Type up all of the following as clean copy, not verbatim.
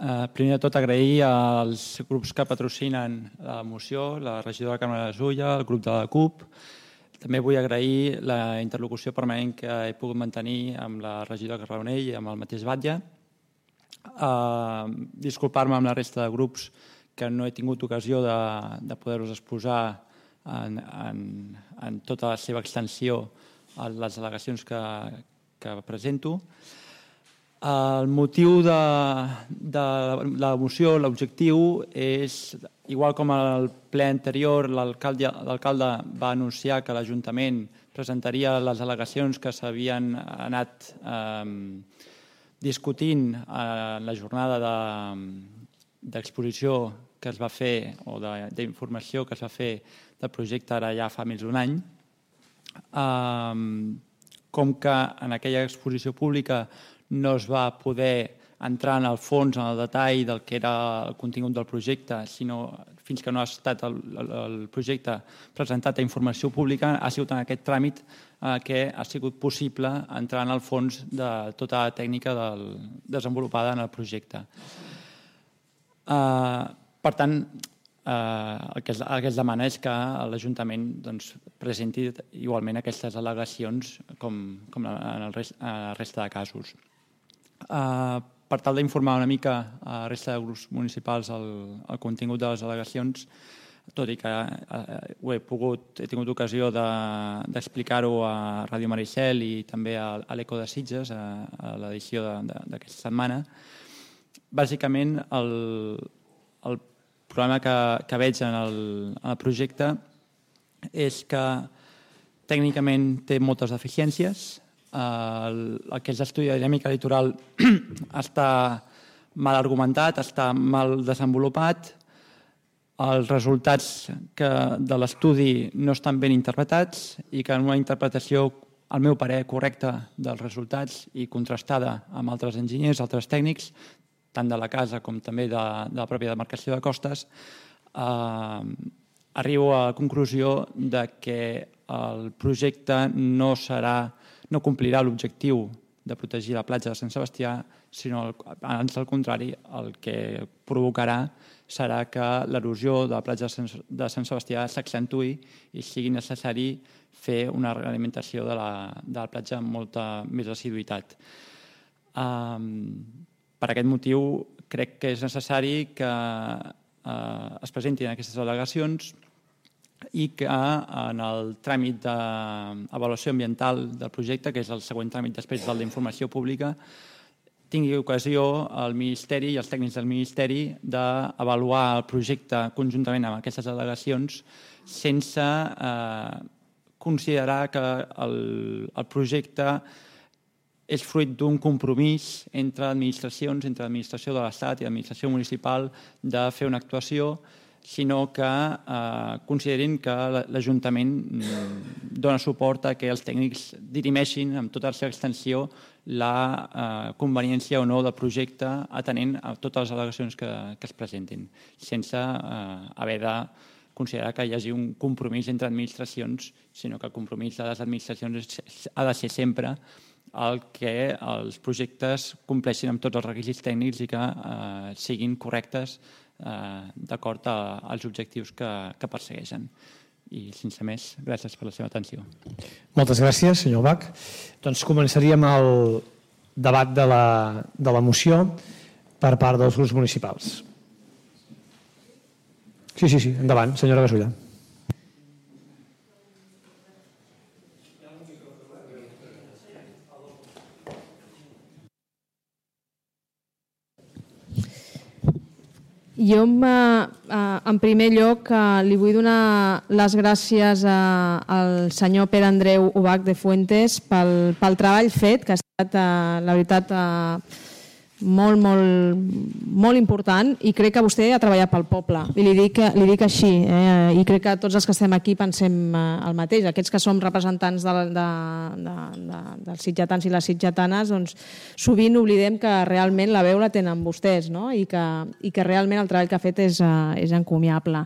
Primer de tot, agrair als grups que patrocinen la moció, la regidora Carme Gasulla, el grup de la CUP. També vull agrair la interlocució permanent que he pogut mantenir amb la regidora Carbonell i amb el mateix Batlle. Disculpar-me amb la resta de grups que no he tingut ocasió de poder-vos exposar en tota la seva extensió a les al·legacions que presento. El motiu de la moció, l'objectiu és, igual com al ple anterior, l'alcalde va anunciar que l'Ajuntament presentaria les al·legacions que s'havien anat discutint en la jornada d'exposició que es va fer o d'informació que es va fer del projecte ara ja fa més d'un any. Com que en aquella exposició pública no es va poder entrar en el fons, en el detall del que era el contingut del projecte, sinó fins que no ha estat el projecte presentat a informació pública, ha sigut en aquest tràmit que ha sigut possible entrar en el fons de tota la tècnica desenvolupada en el projecte. Per tant, el que es demana és que l'Ajuntament presenti igualment aquestes al·legacions com en la resta de casos. Per tal d'informar una mica a la resta de grups municipals el contingut de les al·legacions, tot i que he tingut ocasió d'explicar-ho a Ràdio Maricel i també a l'Eco de Sitges, a l'edició d'aquesta setmana. Bàsicament, el problema que veig en el projecte és que tècnicament té moltes deficiències. El que és l'estudi de dinàmica litoral està mal argumentat, està mal desenvolupat, els resultats de l'estudi no estan ben interpretats i que en una interpretació, al meu parer, correcta dels resultats i contrastada amb altres enginyers, altres tècnics, tant de la casa com també de la pròpia demarcació de costes, arribo a la conclusió que el projecte no complirà l'objectiu de protegir la platja de Sant Sebastià, sinó, ans al contrari, el que provocarà serà que l'erosió de la platja de Sant Sebastià s'accentuï i sigui necessari fer una realimentació de la platja amb molta més assiduïtat. Per aquest motiu, crec que és necessari que es presentin aquestes al·legacions i que en el tràmit d'avaluació ambiental del projecte, que és el següent tràmit després del d'informació pública, tingui ocasió el Ministeri i els tècnics del Ministeri d'avaluar el projecte conjuntament amb aquestes al·legacions sense considerar que el projecte és fruit d'un compromís entre administracions, entre l'administració de l'Estat i l'administració municipal de fer una actuació, sinó que considerin que l'Ajuntament dona suport a que els tècnics dirimeixin amb tota la seva extensió la conveniència o no del projecte atenent a totes les al·legacions que es presentin, sense haver de considerar que hi hagi un compromís entre administracions, sinó que el compromís de les administracions ha de ser sempre el que els projectes compleixin amb tots els requisits tècnics i que siguin correctes d'acord als objectius que persegueixen. I, sense més, gràcies per la seva atenció. Moltes gràcies, senyor Bach. Doncs començaríem el debat de la moció per part dels grups municipals. Sí, endavant, senyora Gasulla. Jo, en primer lloc, li vull donar les gràcies al senyor Pere Andreu Ubach de Fuentes pel treball fet, que ha estat, la veritat, molt, molt, molt important, i crec que vostè ha treballat pel poble, i li dic així, i crec que tots els que estem aquí pensem el mateix. Aquests que som representants dels sitgetans i les sitgetanes, doncs sovint oblidem que realment la veu la tenen vostès, no? I que realment el treball que ha fet és encomiable.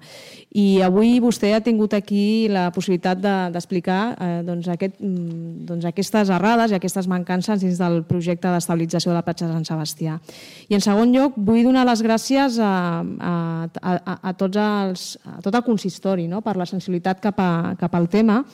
I avui vostè ha tingut aquí la possibilitat d'explicar aquestes errades i aquestes mancances dins del projecte d'estabilització de la platja de Sant Sebastià. Sebastià. I en segon lloc, vull donar les gràcies a tot el consistori per la sensibilitat cap al tema.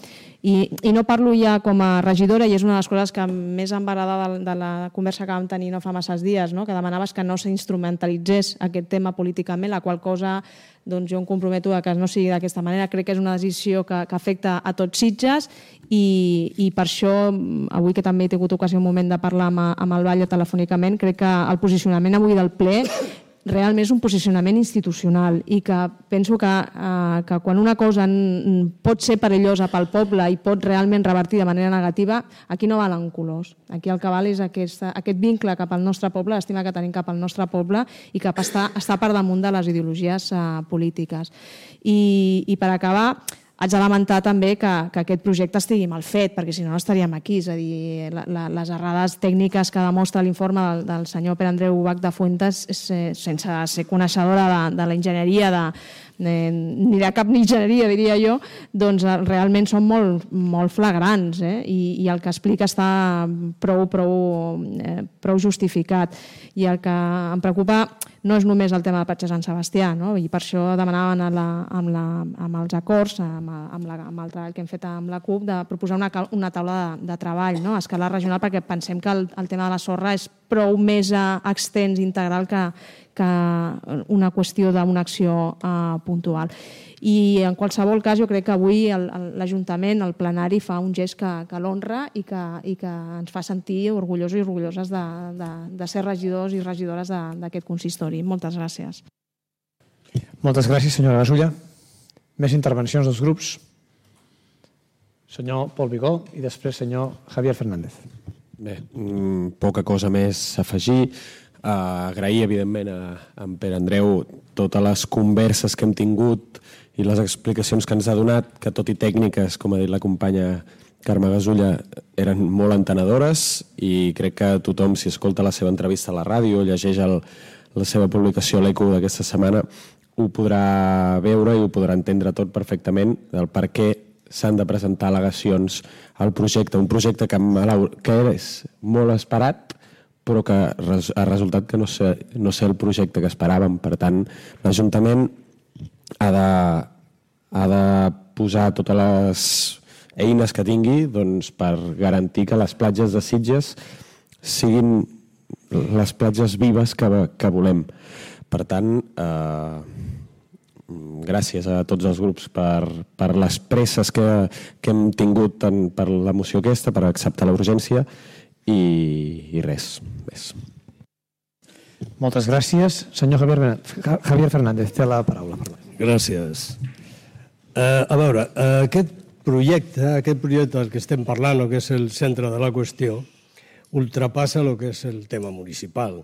I no parlo ja com a regidora, i és una de les coses que més em va agradar de la conversa que vam tenir no fa masses dies, que demanaves que no s'instrumentalitzés aquest tema políticament, la qual cosa jo em comprometo que no sigui d'aquesta manera. Crec que és una decisió que afecta a tots Sitges i per això, avui que també he tingut ocasió un moment de parlar amb el Batlle telefònicament, crec que el posicionament avui del ple realment és un posicionament institucional i que penso que quan una cosa pot ser perillosa pel poble i pot realment revertir de manera negativa, aquí no valen colors. Aquí el que val és aquest vincle cap al nostre poble, l'estima que tenim cap al nostre poble i que està per damunt de les ideologies polítiques. I per acabar, haig de lamentar també que aquest projecte estigui mal fet, perquè si no estaríem aquí. És a dir, les errades tècniques que demostra l'informe del senyor Pere Andreu Ubach de Fuentes, sense ser coneixedora de la enginyeria, ni de cap enginyeria, diria jo, doncs realment són molt flagrants i el que explica està prou justificat. I el que em preocupa no és només el tema de Patge Sant Sebastià, i per això demanaven amb els acords, amb el treball que hem fet amb la CUP, de proposar una taula de treball a escala regional, perquè pensem que el tema de la sorra és prou més extens i integral que una qüestió d'una acció puntual. I en qualsevol cas jo crec que avui l'Ajuntament, el plenari, fa un gest que l'honra i que ens fa sentir orgullosos i orgulloses de ser regidors i regidores d'aquest consistori. Moltes gràcies. Moltes gràcies, senyora Gasulla. Més intervencions dels grups. Senyor Pol Vigó i després senyor Javier Fernández. Bé, poca cosa més a afegir. Agrair, evidentment, a en Pere Andreu totes les converses que hem tingut i les explicacions que ens ha donat, que tot i tècniques, com ha dit la companya Carme Gasulla, eren molt entenedores i crec que tothom, si escolta la seva entrevista a la ràdio o llegeix la seva publicació a l'ECO d'aquesta setmana, ho podrà veure i ho podrà entendre tot perfectament del per què s'han de presentar al·legacions al projecte. Un projecte que és molt esperat, però que ha resultat que no sé el projecte que esperàvem. Per tant, l'Ajuntament ha de posar totes les eines que tingui per garantir que les platges de Sitges siguin les platges vives que volem. Per tant, gràcies a tots els grups per les presses que hem tingut per la moció aquesta, per acceptar la urgència i res més. Moltes gràcies. Senyor Javier Fernández, té la paraula. Gràcies. A veure, aquest projecte del que estem parlant, que és el centre de la qüestió, ultrapassa el que és el tema municipal.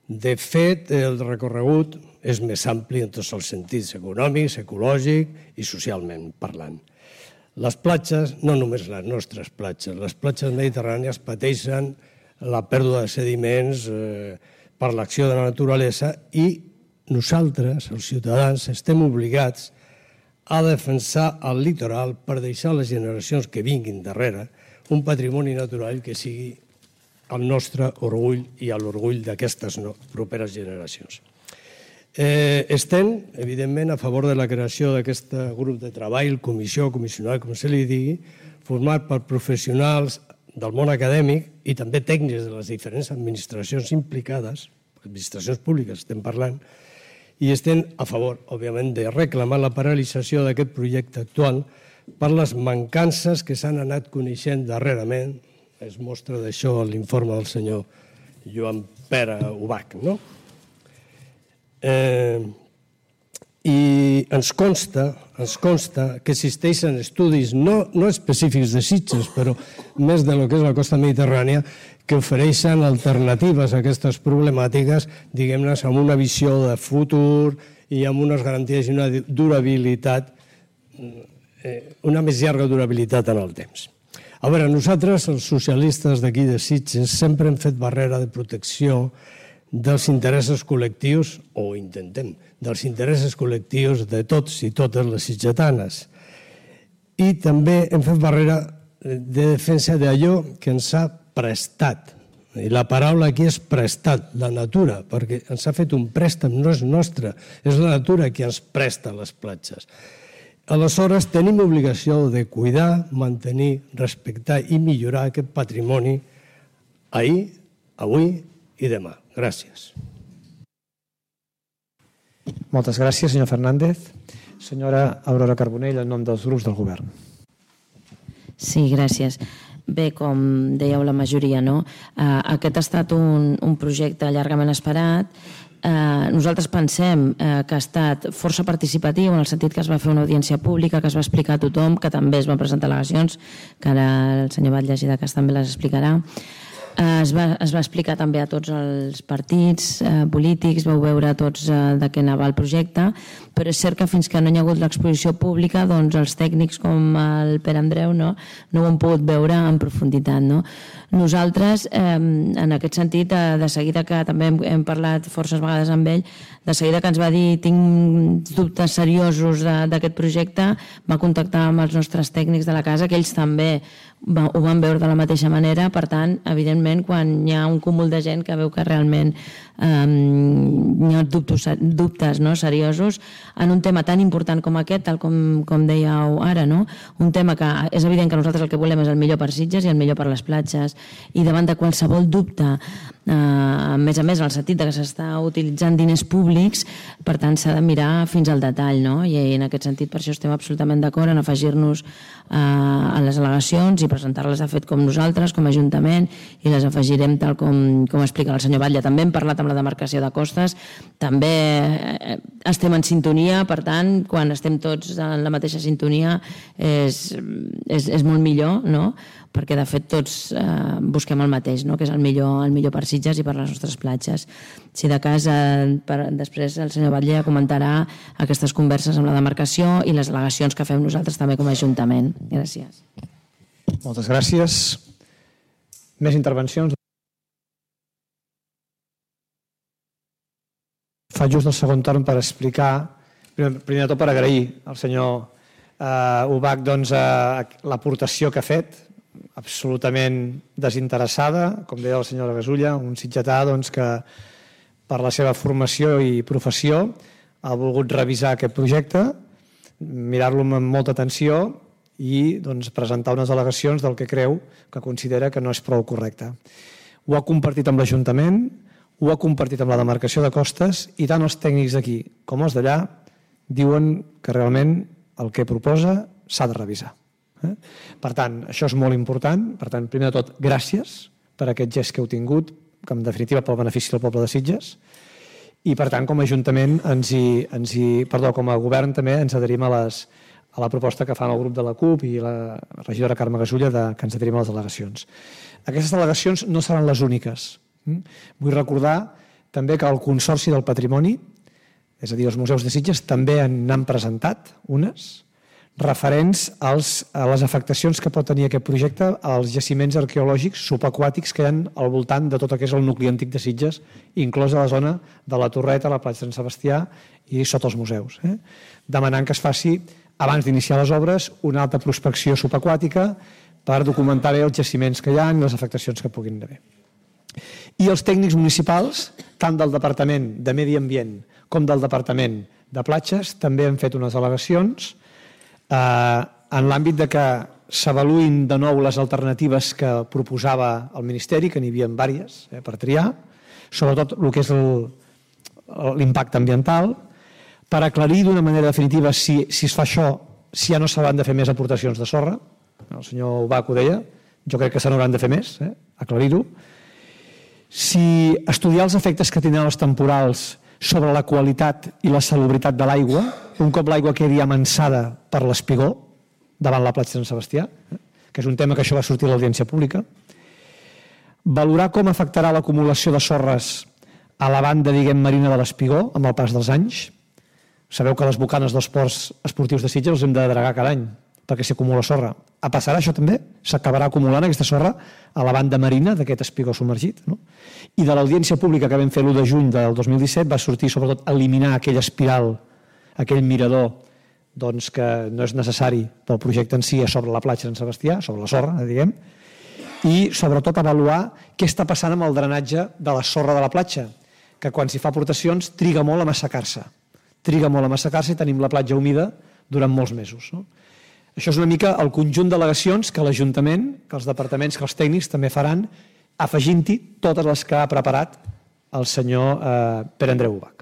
De fet, el recorregut és més ampli en tots els sentits, econòmics, ecològic i socialment parlant. Les platges, no només les nostres platges, les platges mediterrànies pateixen la pèrdua de sediments per l'acció de la naturalesa i nosaltres, els ciutadans, estem obligats a defensar el litoral per deixar a les generacions que vinguin darrere un patrimoni natural que sigui el nostre orgull i l'orgull d'aquestes properes generacions. Estem, evidentment, a favor de la creació d'aquest grup de treball, comissió, comissionat, com se li digui, format per professionals del món acadèmic i també tècnics de les diferents administracions implicades, administracions públiques estem parlant, i estem a favor, òbviament, de reclamar la paralització d'aquest projecte actual per les mancances que s'han anat coneixent darrerament. Es mostra d'això l'informe del senyor Joan Pere Ubach, no? I ens consta que existeixen estudis no específics de Sitges, però més de lo que és la costa mediterrània, que ofereixen alternatives a aquestes problemàtiques, diguem-ne, amb una visió de futur i amb unes garanties i una durabilitat, una més llarga durabilitat en el temps. A veure, nosaltres, els socialistes d'aquí de Sitges, sempre hem fet barrera de protecció dels interessos col·lectius, o intentem, dels interessos col·lectius de tots i totes les sitgetanes. I també hem fet barrera de defensa d'allò que ens ha prestat I la paraula aquí és prestat, la natura, perquè ens ha fet un préstec, no és nostre, és la natura qui ens presta les platges. Aleshores, tenim obligació de cuidar, mantenir, respectar i millorar aquest patrimoni ahir, avui i demà. Gràcies. Moltes gràcies, senyor Fernández. Senyora Aurora Carbonell, en nom dels grups del govern. Sí, gràcies. Bé, com dèieu la majoria, no? Aquest ha estat un projecte llargament esperat. Nosaltres pensem que ha estat força participatiu en el sentit que es va fer una audiència pública, que es va explicar a tothom, que també es van presentar al·legacions, que ara el senyor Batlle de Cas també les explicarà. Es va explicar també a tots els partits polítics, vau veure tots de què anava el projecte, però és cert que fins que no hi ha hagut l'exposició pública, doncs els tècnics com el Pere Andreu no ho han pogut veure en profunditat. Nosaltres, en aquest sentit, de seguida que també hem parlat forces vegades amb ell, de seguida que ens va dir tinc dubtes seriosos d'aquest projecte, va contactar amb els nostres tècnics de la casa, que ells també ho van veure de la mateixa manera. Per tant, evidentment, quan hi ha un cúmul de gent que veu que realment hi ha dubtes seriosos en un tema tan important com aquest, tal com dèieu ara, un tema que és evident que nosaltres el que volem és el millor per Sitges i el millor per les platges, i davant de qualsevol dubte, a més en el sentit que s'està utilitzant diners públics, per tant s'ha de mirar fins al detall, i en aquest sentit per això estem absolutament d'acord en afegir-nos a les al·legacions i presentar-les de fet com nosaltres, com a Ajuntament, i les afegirem tal com explica el senyor Batlle. També hem parlat amb la demarcació de costes, també estem en sintonia, per tant, quan estem tots en la mateixa sintonia és molt millor, perquè de fet tots busquem el mateix, que és el millor per Sitges i per les nostres platges. Si de cas, després el senyor Batlle comentarà aquestes converses amb la demarcació i les al·legacions que fem nosaltres també com a Ajuntament. Gràcies. Moltes gràcies. Més intervencions? Faig just el segon torn per explicar, primer de tot per agrair al senyor Ubach l'aportació que ha fet, absolutament desinteressada, com deia la senyora Gasulla, un sitgetà que per la seva formació i professió ha volgut revisar aquest projecte, mirar-lo amb molta atenció i presentar unes al·legacions del que creu, que considera que no és prou correcte. Ho ha compartit amb l'Ajuntament, ho ha compartit amb la demarcació de costes, i tant els tècnics d'aquí com els d'allà diuen que realment el que proposa s'ha de revisar. Per tant, això és molt important. Per tant, primer de tot, gràcies per aquest gest que heu tingut, que en definitiva pel benefici del poble de Sitges, i per tant, com a Ajuntament, com a Govern també ens adherim a la proposta que fan el grup de la CUP i la regidora Carme Gasulla que ens adherim a les al·legacions. Aquestes al·legacions no seran les úniques. Vull recordar també que el Consorci del Patrimoni, és a dir, els museus de Sitges, també n'han presentat unes referents a les afectacions que pot tenir aquest projecte als jaciments arqueològics subaquàtics que hi ha al voltant de tot el que és el nucli antic de Sitges, inclosa la zona de la Torreta, la platja de Sant Sebastià i sota els museus, demanant que es faci, abans d'iniciar les obres, una alta prospecció subaquàtica per documentar bé els jaciments que hi ha i les afectacions que puguin haver. I els tècnics municipals, tant del Departament de Medi Ambient com del Departament de Platges, també han fet unes al·legacions en l'àmbit de que s'avaluïn de nou les alternatives que proposava el Ministeri, que n'hi havia diverses per triar, sobretot el que és l'impacte ambiental, per aclarir d'una manera definitiva si es fa això, si ja no s'hauran de fer més aportacions de sorra. El senyor Ubach ho deia, jo crec que se n'hauran de fer més, aclarir-ho. Si estudiar els efectes que tindran els temporals sobre la qualitat i la salubritat de l'aigua, un cop l'aigua quedi amansada per l'espigó davant la platja de Sant Sebastià, que és un tema que això va sortir a l'audiència pública. Valorar com afectarà l'acumulació de sorres a la banda, marina de l'espigó amb el pas dels anys. Sabeu que les bocanes dels ports esportius de Sitges els hem de dragar cada any perquè s'hi acumula sorra. Passarà això també? S'acabarà acumulant aquesta sorra a la banda marina d'aquest espigó submergit. I de l'audiència pública que vam fer l'1 de juny del 2017 va sortir sobretot eliminar aquella espiral, aquell mirador que no és necessari pel projecte en si sobre la platja de Sant Sebastià, sobre la sorra, diguem, i sobretot avaluar què està passant amb el drenatge de la sorra de la platja, que quan s'hi fa aportacions triga molt a massacar-se. Triga molt a massacar-se i tenim la platja humida durant molts mesos. Això és una mica el conjunt d'al·legacions que l'Ajuntament, que els departaments, que els tècnics també faran, afegint-hi totes les que ha preparat el senyor Pere Andreu Ubach.